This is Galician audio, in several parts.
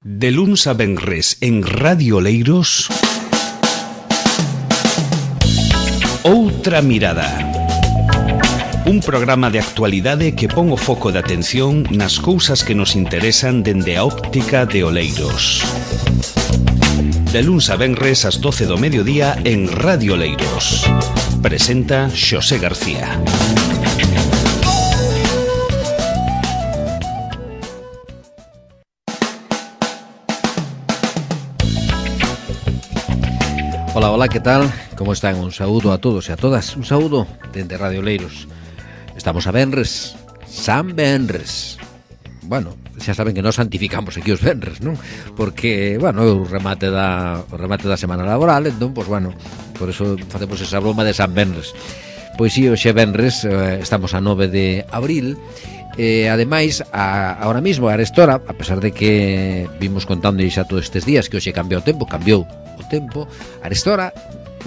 De luns a venres en Radio Oleiros, Outra Mirada. Un programa de actualidade que pon o foco de atención nas cousas que nos interesan dende a óptica de Oleiros. De luns a venres ás 12 do mediodía en Radio Oleiros. Presenta Xosé García. Hola, ¿qué tal? ¿Cómo están? Un saúdo a todos e a todas. Un saúdo dende Radio Oleiros. Estamos a venres, San Venres. Bueno, xa saben que nós santificamos aquí os venres, non? Porque, bueno, o remate da semana laboral, entón, pois, bueno, por eso facemos esa broma de San Venres. Pois si, hoxe venres, estamos a 9 de abril, ademais, ahora mismo, a arestora, a pesar de que vimos contando xa todos estes días que hoxe cambiou o tempo, a arestora,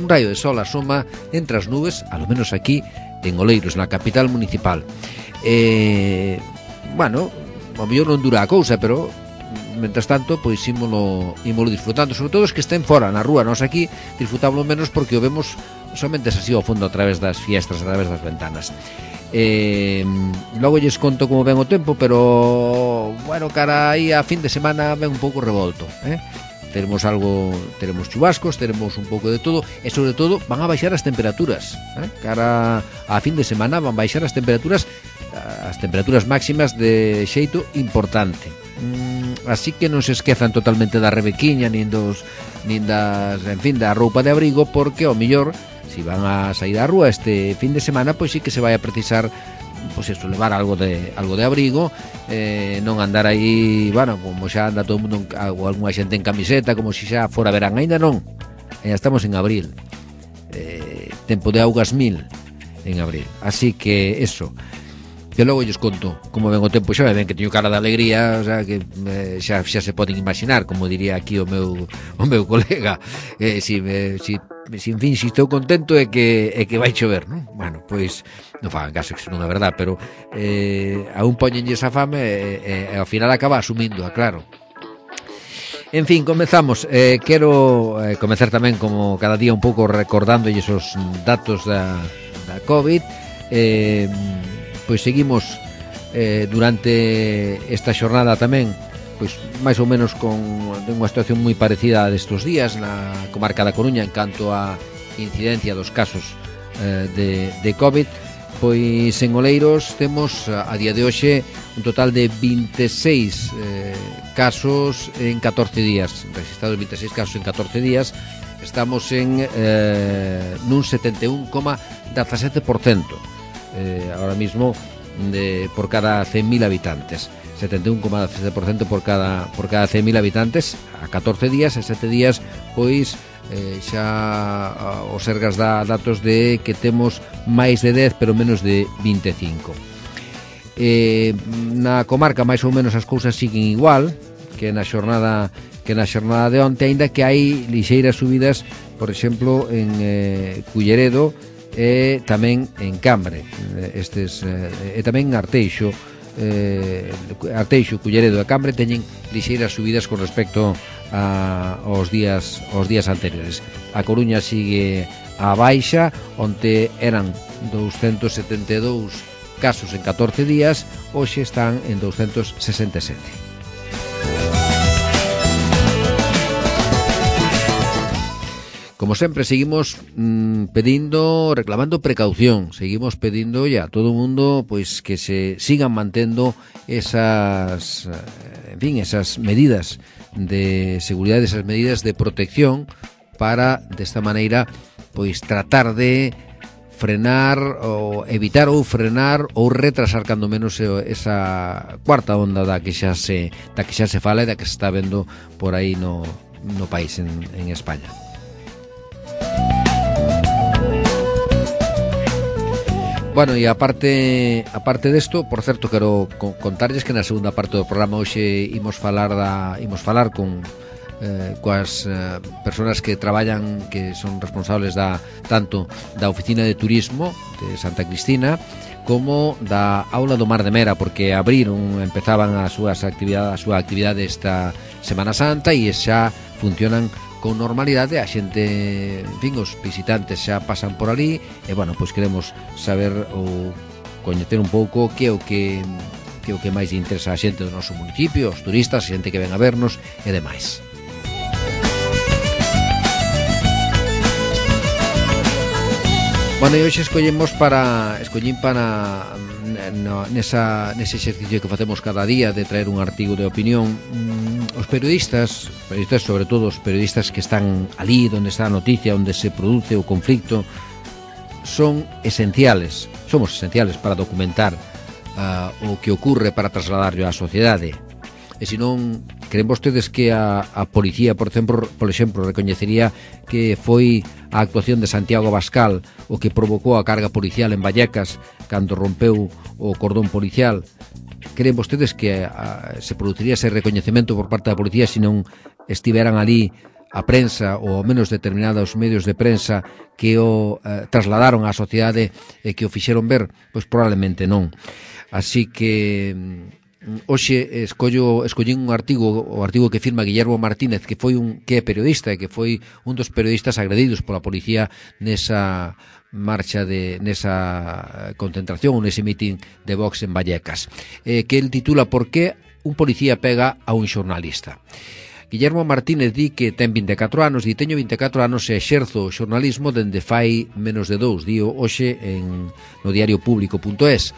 un rayo de sol asoma entre as nubes, a lo menos aquí en Oleiros, na capital municipal. Bueno, ao mellor non dura a cousa, pero mentras tanto, pois ímolo disfrutando, sobre todo os que estén fora na rúa. Nós aquí disfrutámoslo menos porque o vemos somente así ao fondo a través das fiestras, a través das ventanas. Logo lles conto como ven o tempo, pero bueno, cara aí a fin de semana ven un pouco revolto, Teremos chubascos, teremos un pouco de todo, e sobre todo van a baixar as temperaturas, cara a fin de semana van a baixar as temperaturas máximas de xeito importante. Así que non se esquezan totalmente da rebequiña nin da roupa de abrigo, porque ao mellor si van a sair á rúa este fin de semana, pois sí que se vai a precisar, pois eso, levar algo de abrigo, non andar aí, bueno, como xa anda todo o mundo, ou algunha xente en camiseta, como se xa fora verán. Ainda non, ainda estamos en abril, tempo de augas mil en abril, así que eso. Que logo lles conto como ven o tempo. Xa ven que teño cara de alegría, o sea, que xa se poden imaginar, como diría aquí o meu colega, si estou contento é que vai chover, non? Bueno, pois non fagan caso, que non é verdad, pero aún poñenlle esa fame e ao final acaba asumindo, claro. En fin, comezamos. Quero comezar tamén, como cada día, un pouco recordando esos datos da COVID. Pois seguimos durante esta xornada tamén, pois máis ou menos con unha situación moi parecida a destos días na comarca da Coruña en canto a incidencia dos casos de COVID. Pois en Oleiros temos a día de hoxe un total de 26 casos en 14 días, registrados 26 casos en 14 días. Estamos en nun 71,17%. Ahora mismo por cada 100.000 habitantes, 71,17% por cada 100.000 habitantes a 14 días. E 7 días pois xa o Sergas dá datos de que temos máis de 10 pero menos de 25. Na comarca máis ou menos as cousas siguen igual que na xornada de onte, aínda que hai lixeiras subidas, por exemplo, en Culleredo e tamén en Cambre, e tamén Arteixo, Culleredo e Cambre teñen lixeiras subidas con respecto aos días anteriores. A Coruña sigue a baixa, onde eran 272 casos en 14 días, hoxe están en 267. Como sempre, seguimos reclamando precaución, seguimos pedindo a todo o mundo pois que se sigan mantendo esas medidas de seguridade, esas medidas de protección, para desta maneira pois tratar de frenar ou evitar ou frenar ou retrasar cando menos esa cuarta onda da que xa se fala e da que se está vendo por aí no país, en España. Bueno, e aparte desto, por certo, quero contarlles que na segunda parte do programa hoxe imos falar con coas persoas que traballan, que son responsables tanto da oficina de turismo de Santa Cristina como da aula do Mar de Mera, porque empezaban a súa actividade esta Semana Santa e xa funcionan con normalidade. A xente, en fin, os visitantes xa pasan por ali e, bueno, pois queremos saber ou coñecer un pouco que é o que máis interesa a xente do noso municipio, os turistas, a xente que ven a vernos e demais. Bueno, e hoxe escollín para nese exercicio que facemos cada día de traer un artigo de opinión. Os periodistas, sobre todo os periodistas que están ali onde está a noticia, onde se produce o conflicto, somos esenciales para documentar o que ocurre, para trasladarlo á sociedade. E se non, creen vostedes que a policía, por exemplo, recoñecería que foi a actuación de Santiago Abascal o que provocou a carga policial en Vallecas cando rompeu o cordón policial? Creen vostedes que se produciría ese recoñecemento por parte da policía se non estiveran ali a prensa ou ao menos determinados medios de prensa que o trasladaron á sociedade e que o fixeron ver? Pois probablemente non. Así que hoxe escollín un artigo, o artigo que firma Guillermo Martínez, que é periodista e que foi un dos periodistas agredidos pola policía nesa marcha nesa concentración, nese mitin de Vox en Vallecas, que el titula "Por que un policía pega a un xornalista?". Guillermo Martínez di que ten 24 anos, e teño 24 anos e exerzo o xornalismo dende fai menos de 2, dío hoxe no diariopublico.es.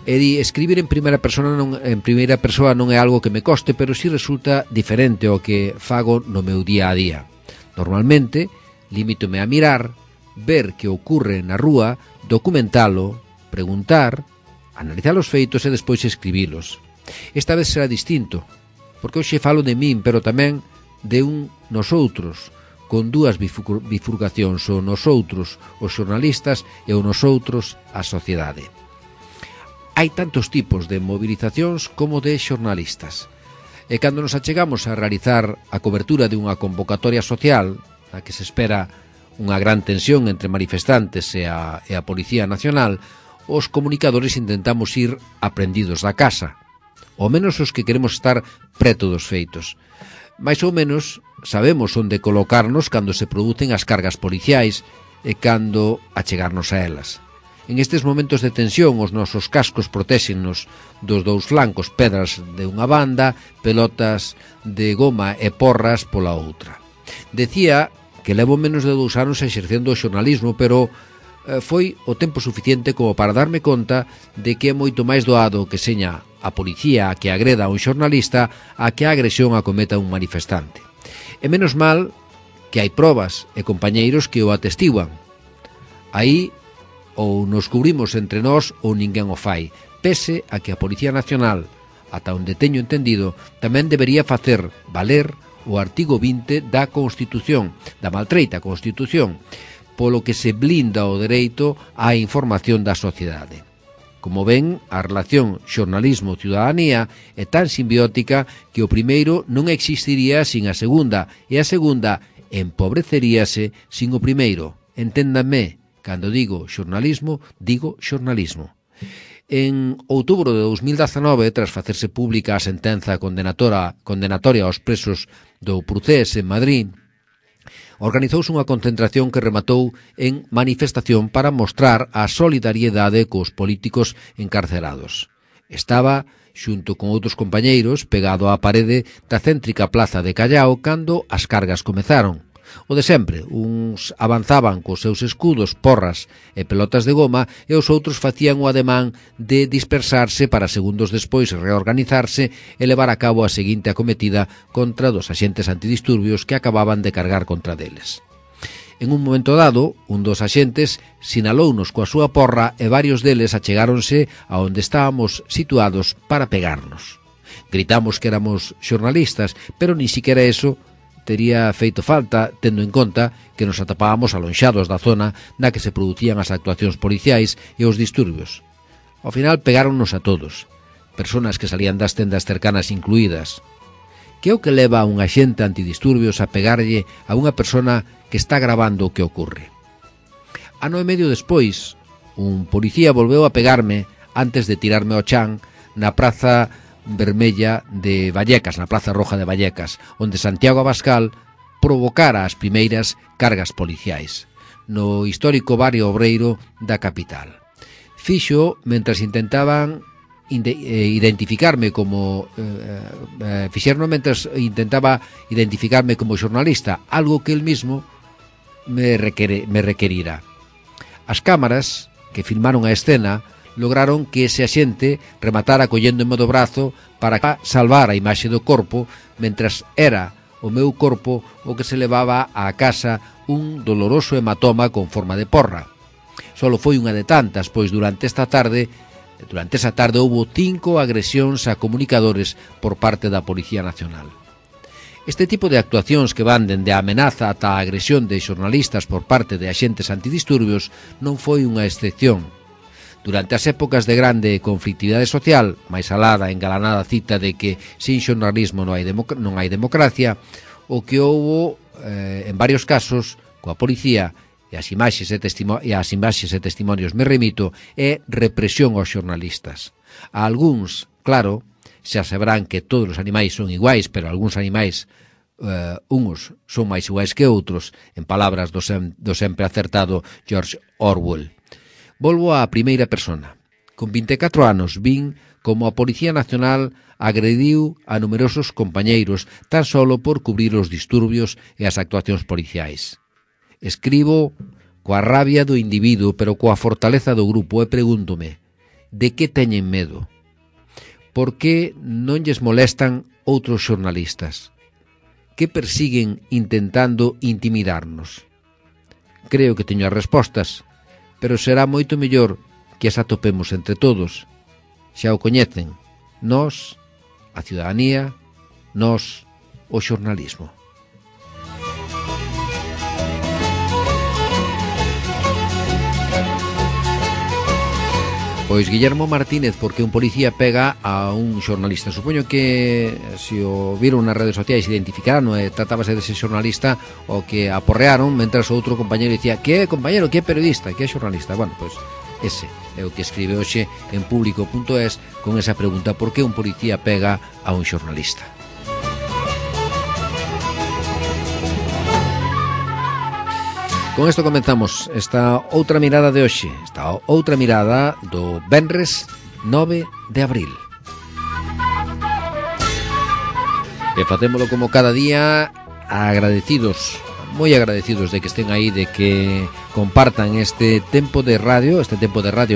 E di, escribir en primeira persoa non é algo que me coste, pero si resulta diferente ao que fago no meu día a día. Normalmente, limítome a mirar, ver que ocorre na rúa, documentalo, preguntar, analizar os feitos e despois escribilos. Esta vez será distinto, porque hoxe falo de min, pero tamén de un nosoutros, con dúas bifurcacións, o nosoutros, os xornalistas, e o nosoutros, a sociedade. Hai tantos tipos de movilizacións como de xornalistas. E cando nos achegamos a realizar a cobertura de unha convocatoria social, na que se espera unha gran tensión entre manifestantes e a Policía Nacional, os comunicadores intentamos ir aprendidos da casa, ao menos os que queremos estar preto dos feitos. Mais ou menos sabemos onde colocarnos cando se producen as cargas policiais e cando achegarnos a elas. En estes momentos de tensión, os nosos cascos protéxennos dos dous flancos, pedras de unha banda, pelotas de goma e porras pola outra. Decía que levo menos de 2 anos exercendo o xornalismo, pero foi o tempo suficiente como para darme conta de que é moito máis doado que seña a policía a que agreda a un xornalista a que a agresión a cometa un manifestante. E menos mal que hai probas e compañeiros que o atestiguan. Aí ou nos cubrimos entre nós ou ninguén o fai, pese a que a Policía Nacional, ata onde teño entendido, tamén debería facer valer o artigo 20 da Constitución, da maltreita Constitución, polo que se blinda o dereito á información da sociedade. Como ven, a relación xornalismo-ciudadanía é tan simbiótica que o primeiro non existiría sin a segunda, e a segunda empobreceríase sin o primeiro. Enténdanme, cando digo xornalismo, digo xornalismo. En outubro de 2019, tras facerse pública a sentenza condenatoria aos presos do Procés en Madrid, organizouse unha concentración que rematou en manifestación para mostrar a solidariedade cos políticos encarcerados. Estaba, xunto con outros compañeiros, pegado á parede da céntrica plaza de Callao cando as cargas comezaron. O de sempre, uns avanzaban cos seus escudos, porras e pelotas de goma e os outros facían o ademán de dispersarse para segundos despois reorganizarse e levar a cabo a seguinte acometida contra dos axentes antidisturbios que acababan de cargar contra deles. En un momento dado, un dos axentes sinalounos coa súa porra e varios deles achegáronse a onde estábamos situados para pegarnos. Gritamos que éramos xornalistas, pero ni siquiera eso tería feito falta, tendo en conta que nos atopábamos alonxados da zona na que se producían as actuacións policiais e os disturbios. Ao final pegáronnos a todos, personas que salían das tendas cercanas incluídas. Que é o que leva a un axente antidisturbios a pegarlle a unha persona que está gravando o que ocorre? Ano e medio despois, un policía volveu a pegarme antes de tirarme ao chan na Praza Vermella de Vallecas, na Praza Roja de Vallecas, onde Santiago Abascal provocara as primeiras cargas policiais no histórico barrio obreiro da capital. Fixo mentras intentaban identificarme como fixerno mentras intentaba identificarme como xornalista, algo que el mismo me requerira. As cámaras que filmaron a escena lograron que ese axente rematara colléndome do brazo para salvar a imaxe do corpo, mentras era o meu corpo o que se levaba á casa un doloroso hematoma con forma de porra. Solo foi unha de tantas, pois durante esa tarde houbo 5 agresións a comunicadores por parte da Policía Nacional. Este tipo de actuacións que van dende a amenaza ata a agresión de xornalistas por parte de axentes antidisturbios non foi unha excepción. Durante as épocas de grande conflictividade social, máis alá da engalanada cita de que sin xornalismo non hai democracia, o que houbo en varios casos coa policía e as imaxes e testimonios me remito é represión aos xornalistas. A algúns, claro, xa sabrán que todos os animais son iguais, pero algúns animais uns son máis iguais que outros, en palabras do sempre acertado George Orwell. Volvo á primeira persona. Con 24 anos vin como a Policía Nacional agrediu a numerosos compañeiros tan solo por cubrir os disturbios e as actuacións policiais. Escribo coa rabia do individuo, pero coa fortaleza do grupo, e pregúntome, de que teñen medo? Por que non lles molestan outros xornalistas? Que persiguen intentando intimidarnos? Creo que teño as respostas, pero será moito mellor que as atopemos entre todos. Xa o coñecen, nós, a ciudadanía, nós, o xornalismo. Pois Guillermo Martínez, porque un policía pega a un xornalista. Supoño que se o viron nas redes sociais identificaron e tratábase dese xornalista o que aporrearon, mentras outro compañero dicía que é compañero, que é periodista, que é xornalista. Bueno, pois ese é o que escribe hoxe en público.es con esa pregunta: por que un policía pega a un xornalista? Con isto comenzamos esta outra mirada de hoxe, esta outra mirada do venres 9 de abril. E facémolo como cada día, agradecidos, moi agradecidos de que estén aí, de que compartan este tempo de radio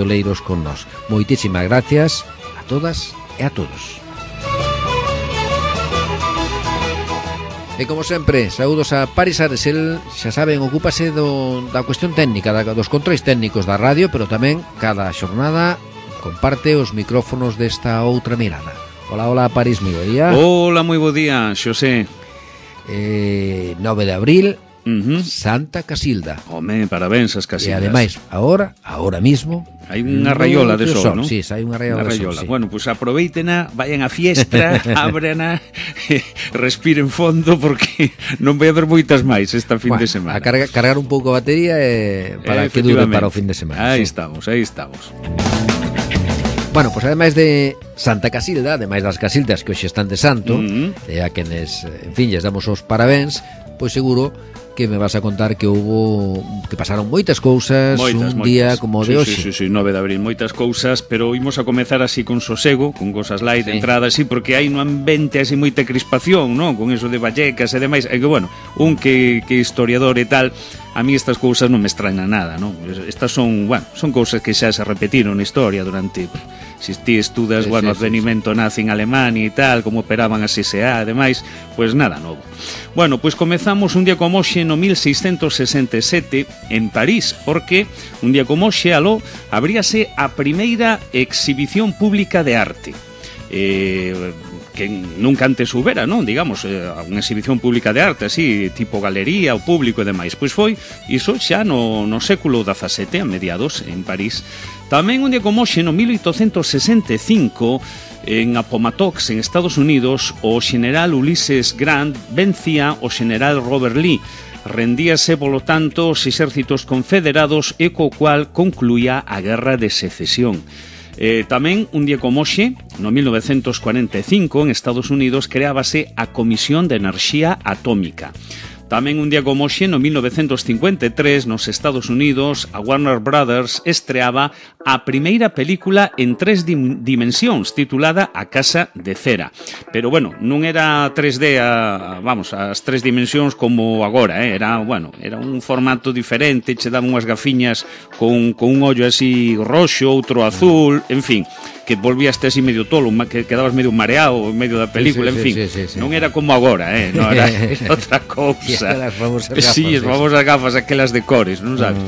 Oleiros con nós. Moitísimas gracias a todas e a todos. E como sempre, saúdos a Paris Ares. El, xa saben, ocúpase da cuestión técnica, dos controis técnicos da radio, pero tamén cada xornada comparte os micrófonos desta outra mirada. Hola, Paris, moi bo día. Hola, moi bo día, Xosé. 9 de abril, Santa Casilda. Home, parabéns as Casildas. E ademais, agora mismo hai unha raiola de sol, non? Sí, hai unha raiola de sol, sí. Bueno, pois aproveitena, vayan a fiestra, ábrena, respiren fondo, porque non vai haber moitas máis esta fin de semana. A cargar un pouco a batería para que dure para o fin de semana. Aí sí. estamos. Bueno, pois ademais de Santa Casilda, ademais das Casildas que hoxe están de santo, e a quenes, en fin, lles damos os parabéns, pois seguro que me vas a contar que pasaron moitas cousas un día como de hoxe. Sí, 9 de abril, moitas cousas, pero imos a comezar así con sosego, con cosas light, de entrada así, porque hai no ambiente así moita crispación, non? Con eso de Vallecas e demais, e que, bueno, un que historiador e tal, a mí estas cousas non me extrañan nada, non? Estas son cousas que xa se repetiron na historia durante... Si ti estudas, o advenimento nazi en Alemania e tal, como operaban as SA e demais, pois nada novo. Bueno, pois comezamos un día como hoxe no 1667 en París, porque un día como hoxe, aló, abríase a primeira exhibición pública de arte. que nunca antes houbera, non? Digamos, unha exhibición pública de arte, así, tipo galería, o público e demais. Pois foi iso xa no século XVII, a mediados, en París. Tamén un día como hoxe, no 1865, en Appomattox, en Estados Unidos, o xeneral Ulysses Grant vencía o xeneral Robert Lee. Rendíase, polo tanto, os exércitos confederados e co cual concluía a Guerra de Secesión. Tamén, un día como hoxe, no 1945, en Estados Unidos, creábase a Comisión de Enerxía Atómica. Tamén un día como hoxe, no 1953, nos Estados Unidos, a Warner Brothers estreaba a primeira película en 3 dimensións, titulada A Casa de Cera. Pero, bueno, non era 3D, as 3 dimensións como agora, era un formato diferente, che daban unhas gafiñas con un ollo así roxo, outro azul, en fin, que volvíaste así medio tolo, que quedabas medio mareado en medio da película, en fin, non era como agora, non era outra cousa. As famosas gafas. Sí, as famosas gafas, aquelas de cores, non sabes?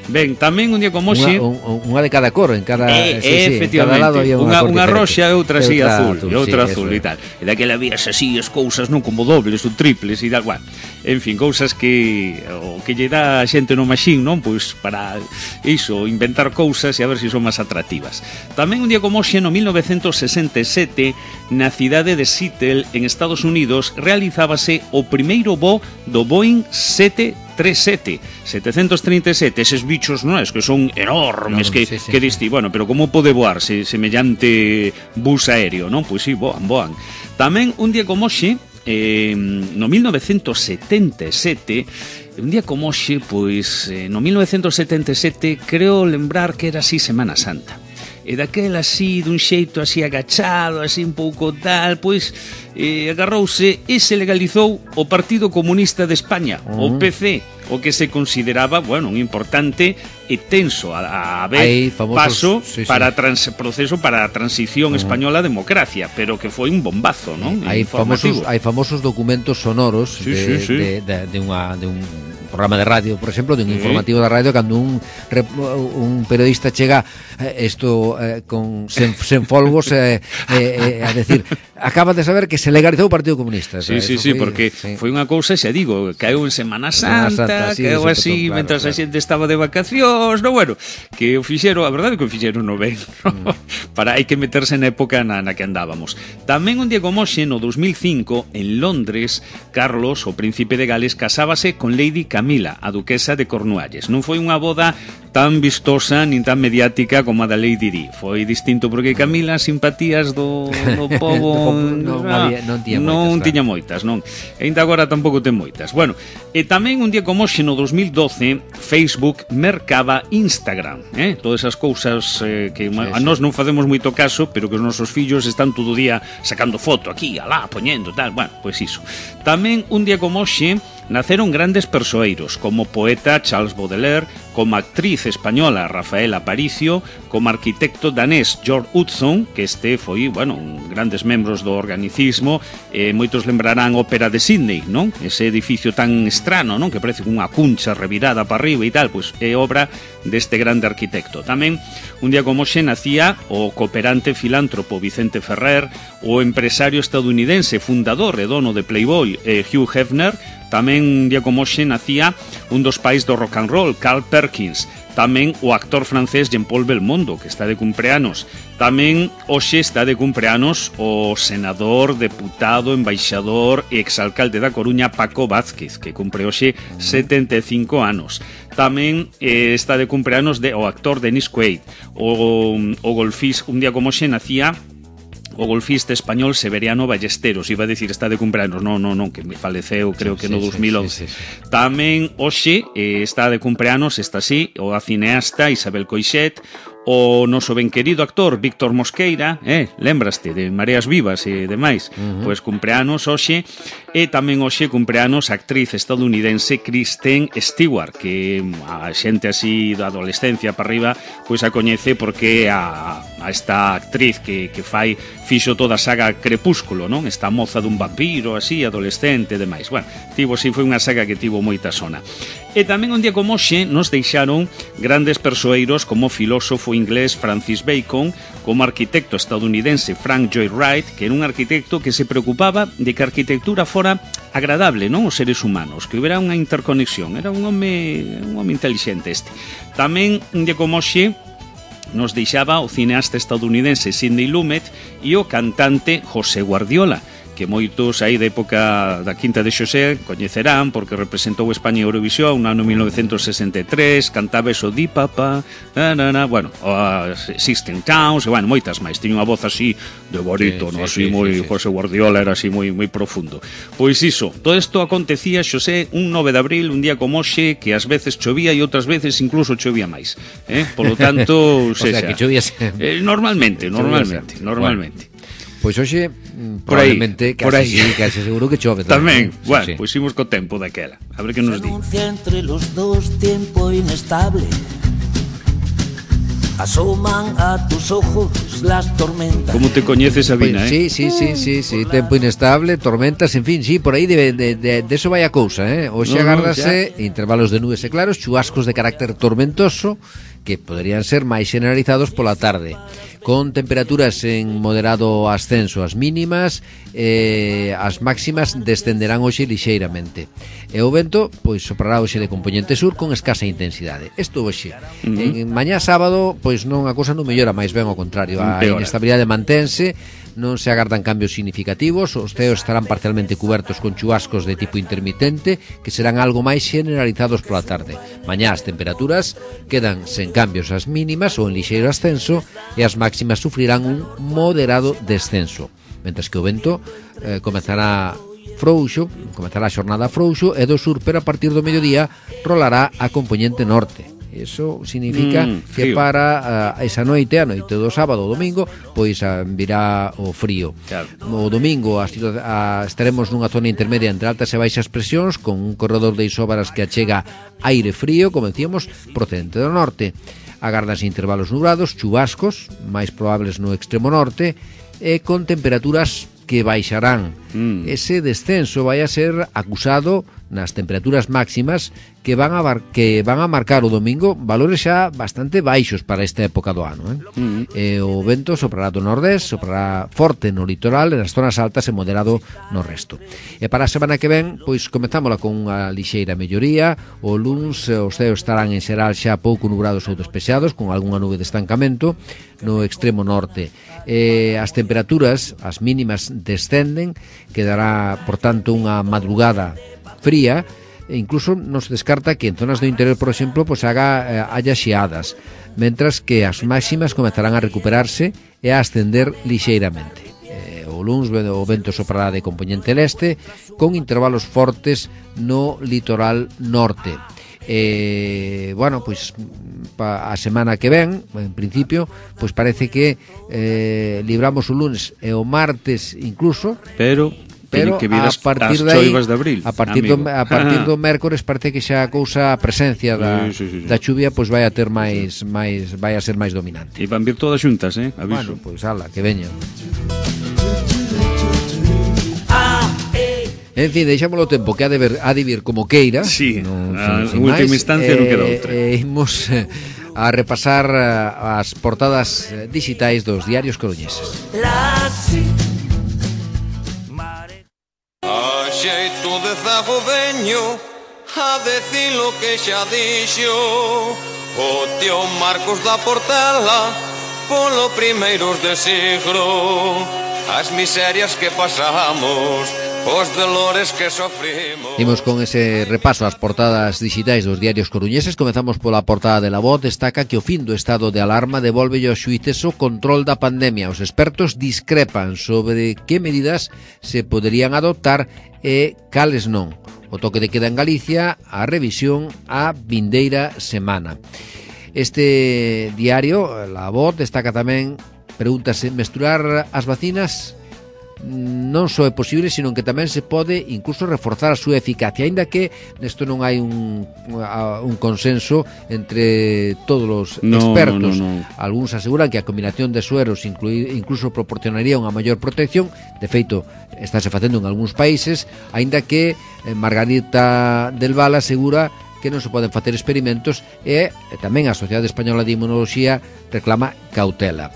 Ben, tamén un día como hoxe... Unha de cada cor, en cada... efectivamente, cada lado había unha roxa e outra así azul, e outra azul e tal. E daquela vías así as cousas, non como dobles ou triples e tal, bueno, en fin, cousas que lle dá a xente no machín, non? Pois para iso, inventar cousas e a ver se son máis atractivas. Tamén un día como hoxe, no 1967, na cidade de Seattle, en Estados Unidos, realizábase o primeiro voo do Boeing 737, eses bichos, non é? Que son enormes, que diste, bueno, pero como pode voar semellante bus aéreo, non? Pois sí, voan. Tamén un día como hoxe, no 1977, un día como hoxe, pois no 1977, creo lembrar que era así Semana Santa. E daquel así, dun xeito así agachado, así un pouco tal, pois agarrouse e se legalizou o Partido Comunista de España, o PC, o que se consideraba, bueno, un importante e tenso a vez paso para proceso para a transición española a democracia, pero que foi un bombazo, non? Hai famosos documentos sonoros de un programa de radio, por exemplo, dun informativo da radio, cando un periodista chega sen folgos a decir, acaba de saber que se legalizou o Partido Comunista. Sí, porque foi unha cousa, xa digo, caeu en Semana Santa, caeu así, mentras a xente estaba de vacacións, no, bueno, que o fixeron, a verdade é que o fixeron no ben, hai que meterse na época na que andábamos. Tamén un día como hoxe, no 2005, en Londres, Carlos, o príncipe de Gales, casábase con Lady Camila, a duquesa de Cornualles. Non foi unha boda tan vistosa nin tan mediática como a da Lady Di. Foi distinto porque Camila, simpatías do pobo non tiña moitas, non? E ainda agora tampouco ten moitas. Bueno, e tamén un día como hoxe, no 2012, Facebook mercaba Instagram, todas esas cousas que a nós non facemos moito caso, pero que os nosos fillos están todo o día sacando foto aquí, alá, poñendo, tal, bueno, pois iso. Tamén un día como hoxe naceron grandes persoeiros, como poeta Charles Baudelaire, como actriz española Rafaela Aparicio, como arquitecto danés George Hudson, que foi, bueno, grandes membros do organicismo, moitos lembrarán a Ópera de Sydney, non? Ese edificio tan estrano, non? Que parece unha cuncha revirada para arriba e tal, pois é obra deste grande arquitecto. Tamén, un día como hoxe, nacía o cooperante filántropo Vicente Ferrer, o empresario estadounidense, fundador e dono de Playboy, Hugh Hefner. Tamén un día como hoxe nacía un dos pais do rock and roll, Carl Perkins. Tamén o actor francés Jean-Paul Belmondo, que está de cumpleanos. Tamén hoxe está de cumpleanos o senador, deputado, embaixador e exalcalde da Coruña Paco Vázquez, que cumpre hoxe 75 anos. Tamén está de cumpleanos o actor Dennis Quaid. O golfís, un día como hoxe nacía o golfista español Severiano Ballesteros. Iba a decir está de cumpleanos, non, que me faleceu, creo que no 2011. Tamén hoxe está de cumpleanos, está así, o a cineasta Isabel Coixet, o noso ben querido actor Víctor Mosqueira, lembraste de Mareas Vivas e demais, pois cumpleanos hoxe, e tamén hoxe cumpleanos a actriz estadounidense Kristen Stewart, que a xente así da adolescencia para arriba, pois a coñece porque a a esta actriz que fixo toda a saga Crepúsculo, non? Esta moza dun vampiro, así, adolescente e demais. Bueno, foi unha saga que tivo moita sona. E tamén un día como hoxe nos deixaron grandes persoeiros como o filósofo inglés Francis Bacon, como arquitecto estadounidense Frank Lloyd Wright, que era un arquitecto que se preocupaba de que a arquitectura fora agradable, non, os seres humanos, que houbera unha interconexión. Era un home intelixente este. Tamén un día como hoxe nos deixaba o cineasta estadounidense Sidney Lumet e o cantante José Guardiola, que moitos aí da época da Quinta de Xosé coñecerán porque representou España en Eurovisión no ano 1963, cantaba eso di papá, bueno, Sixteen Towns, e bueno, moitas máis, tiña unha voz así de barítono, así moi José Guardiola era así moi profundo. Pois iso, todo isto acontecía, Xosé, un 9 de abril, un día como hoxe, que ás veces chovía e outras veces incluso chovía máis, polo tanto, o sea, que chovía normalmente. Pois hoxe probablemente case seguro que chove tamén. Bueno, pois imos co tempo daquela. A ver que nos di. Entre los dos tiempo inestable. Asoman a tus ojos las tormentas. Como te coñeces, Sabina, pues, sí, tempo inestable, tormentas, en fin, sí, por aí de eso vai a cousa, Hoxe agárdase intervalos de nubes e claros, chubascos de carácter tormentoso que poderían ser máis generalizados pola tarde, con temperaturas en moderado ascenso as mínimas, as máximas descenderán hoxe lixeiramente. E o vento, pois, soprará hoxe de compoñente sur con escasa intensidade. Isto hoxe. En mañá sábado, pois non a cousa non mellora, máis ben ao contrario. A inestabilidade mantense, non se agardan cambios significativos, os ceos estarán parcialmente cubertos con chubascos de tipo intermitente que serán algo máis generalizados pola tarde. Mañá as temperaturas quedan sen cambios as mínimas ou en lixeiro ascenso e as máximas sufrirán un moderado descenso, mentres que o vento comezará a xornada frouxo e do sur, pero a partir do mediodía rolará a compoñente norte. Eso significa que para esa noite, a noite do sábado ou domingo, pois virá o frío. Claro. O domingo estaremos nunha zona intermedia entre altas e baixas presións, con un corredor de isóbaras que achega aire frío, como decíamos, procedente do norte. Agardanse intervalos nublados, chubascos, máis probables no extremo norte, e con temperaturas que baixarán. Ese descenso vai a ser acusado nas temperaturas máximas que van a marcar o domingo valores xa bastante baixos para esta época do ano, o vento soprará do nordés, soprará forte no litoral e nas zonas altas e moderado no resto. E para a semana que ven, pois comezámola con unha lixeira melloría. O luns os ceos estarán en xeral xa pouco nubrados ou despexados, con algunha nube de estancamento no extremo norte. As temperaturas, as mínimas descenden, quedará, por tanto, unha madrugada fría, e incluso non se descarta que en zonas do interior, por exemplo, pues haya xeadas, mentras que as máximas comezarán a recuperarse e a ascender lixeiramente. O luns o vento soprará de compoñente leste, con intervalos fortes no litoral norte. Bueno, pois a semana que ven, en principio, pois parece que libramos o lunes e o martes incluso, pero que a partir de aí, de abril, a partir do mércores parece que xa a cousa, a presencia da chuvia pois vai a ter máis vai a ser máis dominante. E van vir todas xuntas, aviso. Bueno, pois ala, que veñan. En fin, deixámoslo o tempo que ha de vir como queira. Sí, en última instancia non queda outra. Imos a repasar as portadas digitais dos diarios coruñeses. A xeito de zago veño a decir lo que xa dixo o tío Marcos da Portela polo primeiros de siglo, as miserias que pasamos, os dolores que sofrimos. Imos con ese repaso ás portadas digitais dos diarios coruñeses. Comezamos pola portada de La Voz. Destaca que o fin do estado de alarma devolve aos xuíces o control da pandemia. Os expertos discrepan sobre que medidas se poderían adoptar e cales non. O toque de queda en Galicia, a revisión a vindeira semana. Este diario, La Voz, destaca tamén, pregúntase, mesturar as vacinas non só é posible, sino que tamén se pode incluso reforzar a súa eficacia, aínda que nesto non hai un consenso entre todos os expertos. No. Algúns aseguran que a combinación de sueros incluso proporcionaría unha maior protección. De feito, estáse facendo en algúns países, aínda que Margarita del Val asegura que non se poden facer experimentos e tamén a Sociedade Española de Inmunoloxía reclama cautela.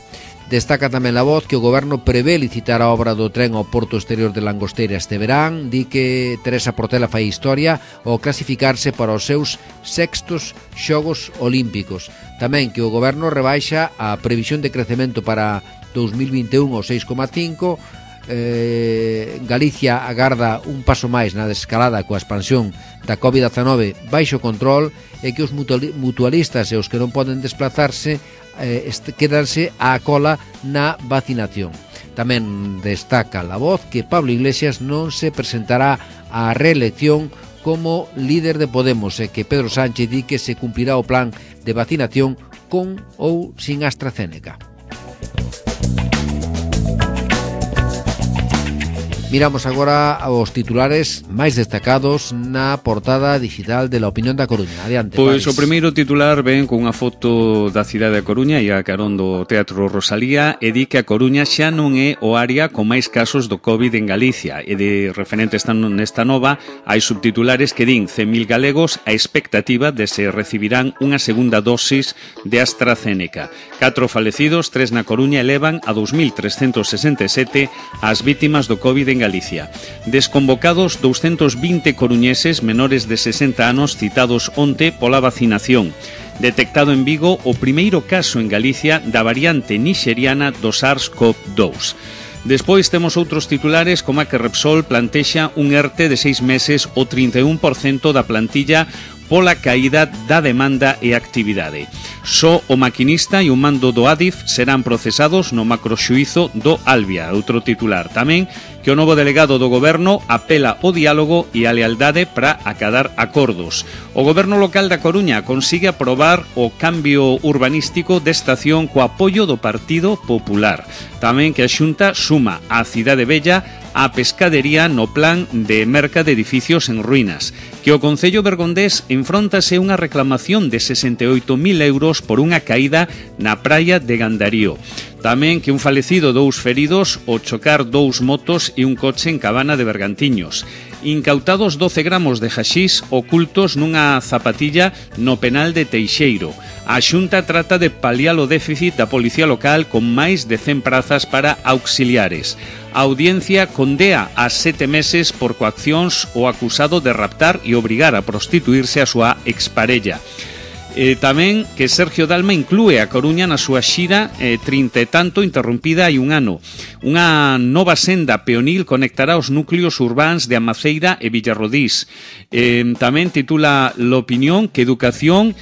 Destaca tamén La Voz que o goberno prevé licitar a obra do tren ao porto exterior de Langosteira este verán. Di que Teresa Portela fai historia ao clasificarse para os seus 6º Xogos Olímpicos. Tamén que o goberno rebaixa a previsión de crecemento para 2021 ao 6,5%. Galicia agarda un paso máis na desescalada coa expansión da COVID-19 baixo control, e que os mutualistas e os que non poden desplazarse quedanse á cola na vacinación. Tamén destaca La Voz que Pablo Iglesias non se presentará á reelección como líder de Podemos e que Pedro Sánchez di que se cumplirá o plan de vacinación con ou sin AstraZeneca. Miramos agora aos titulares máis destacados na portada digital de La Opinión da Coruña. Adiante, Pois Paris. o primeiro titular ven con unha foto da cidade da Coruña e a carón do Teatro Rosalía, e di que a Coruña xa non é o área con máis casos do COVID en Galicia, e de referente nesta nova hai subtitulares que din 100.000 galegos a expectativa de se recibirán unha segunda dosis de AstraZeneca. 4 falecidos, 3 na Coruña, elevan a 2.367 as vítimas do COVID en Galicia. Desconvocados 220 coruñeses menores de 60 anos citados onte pola vacinación. Detectado en Vigo o primeiro caso en Galicia da variante nixeriana do SARS-CoV-2. Despois temos outros titulares como a que Repsol plantexa un ERTE de 6 meses o 31% da plantilla pola caída da demanda e actividade. Só o maquinista e o mando do Adif serán procesados no macroxuízo do Albia. Outro titular tamén que o novo delegado do goberno apela ao diálogo e a lealdade para acadar acordos. O goberno local da Coruña consigue aprobar o cambio urbanístico de estación co apoio do Partido Popular. Tamén que a Xunta suma á Cidade Bella a pescadería no plan de merca de edificios en ruínas, que o Concello Bergondés enfróntase unha reclamación de 68.000 euros por unha caída na praia de Gandarío. Tamén que un falecido, 2 feridos ao chocar 2 motos e un coche en Cabana de Bergantiños. Incautados 12 gramos de haxís ocultos nunha zapatilla no penal de Teixeiro. A Xunta trata de paliar o déficit da policía local con máis de 100 prazas para auxiliares. A audiencia condea a 7 meses por coaccións o acusado de raptar e obrigar a prostituirse a súa exparella. Tamén que Sergio Dalma inclúe a Coruña na súa xira 30 e tanto interrompida hai un ano. Unha nova senda peonil conectará os núcleos urbáns de Amaceira e Villarrodís. Tamén titula L'Opinión que Educación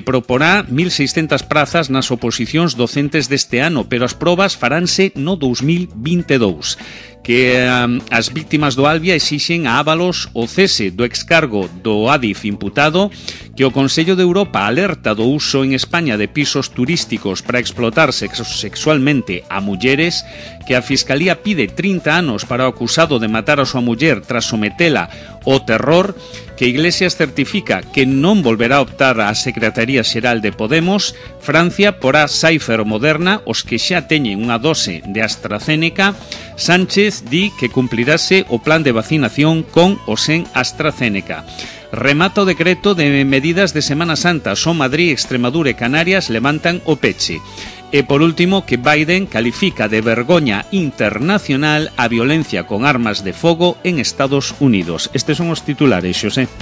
proporá 1.600 prazas nas oposicións docentes deste ano, pero as probas faránse no 2022. Que as víctimas do Albia exixen a Ábalos o cese do excargo do Adif imputado, que o Consello de Europa alerta do uso en España de pisos turísticos para explotar sexualmente a mulleres, que a Fiscalía pide 30 anos para o acusado de matar a súa muller tras sometela ao terror, que Iglesias certifica que non volverá a optar á Secretaría Xeral de Podemos. Francia porá Pfizer ou Moderna os que xa teñen unha dose de AstraZeneca. Sánchez di que cumplirase o plan de vacinación con ou sen AstraZeneca. Remata o decreto de medidas de Semana Santa. Só Madrid, Extremadura e Canarias levantan o peche. E por último que Biden califica de vergoña internacional a violencia con armas de fogo en Estados Unidos. Estes son os titulares, Xosé.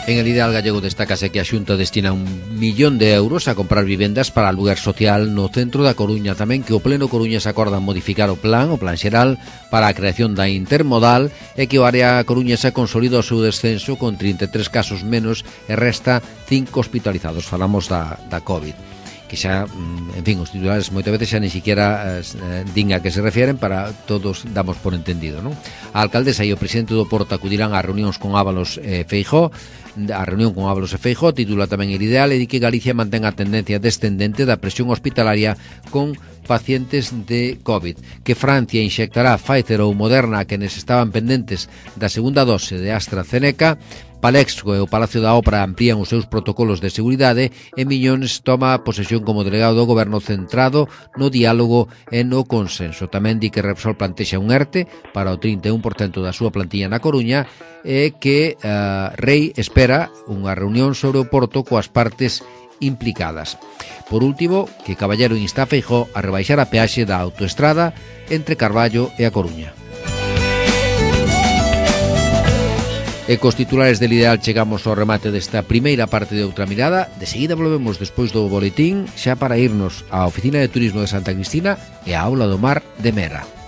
En el Ideal Gallego destácase que a Xunta destina 1 millón de euros a comprar vivendas para aluguer social no centro da Coruña. Tamén que o Pleno Coruñas acorda modificar o plan xeral para a creación da intermodal, e que o área coruñesa consolida o seu descenso con 33 casos menos e resta 5 hospitalizados. Falamos da COVID, que xa, en fin, os titulares moitas veces xa ni siquiera din a que se refieren, para todos damos por entendido, non? A alcaldesa e o presidente do Porto acudirán a reunións con Ábalos e Feijóo. A reunión con Ábalos e Feijóo titula tamén El Ideal, e di que Galicia mantén a tendencia descendente da presión hospitalaria con pacientes de COVID, que Francia inxectará Pfizer ou Moderna a quenes estaban pendentes da segunda dose de AstraZeneca, Palexco e o Palacio da Ópera amplían os seus protocolos de seguridade e Miñones toma posesión como delegado do goberno centrado no diálogo e no consenso. Tamén di que Repsol plantexa un ERTE para o 31% da súa plantilla na Coruña e que Rei espera unha reunión sobre o Porto coas partes implicadas. Por último, que Caballero insta a Feijóo a rebaixar a peaxe da autoestrada entre Carballo e a Coruña. E cos titulares del Ideal chegamos ao remate desta primeira parte de Outra Mirada. De seguida volvemos despois do boletín xa para irnos á Oficina de Turismo de Santa Cristina e á Aula do Mar de Mera.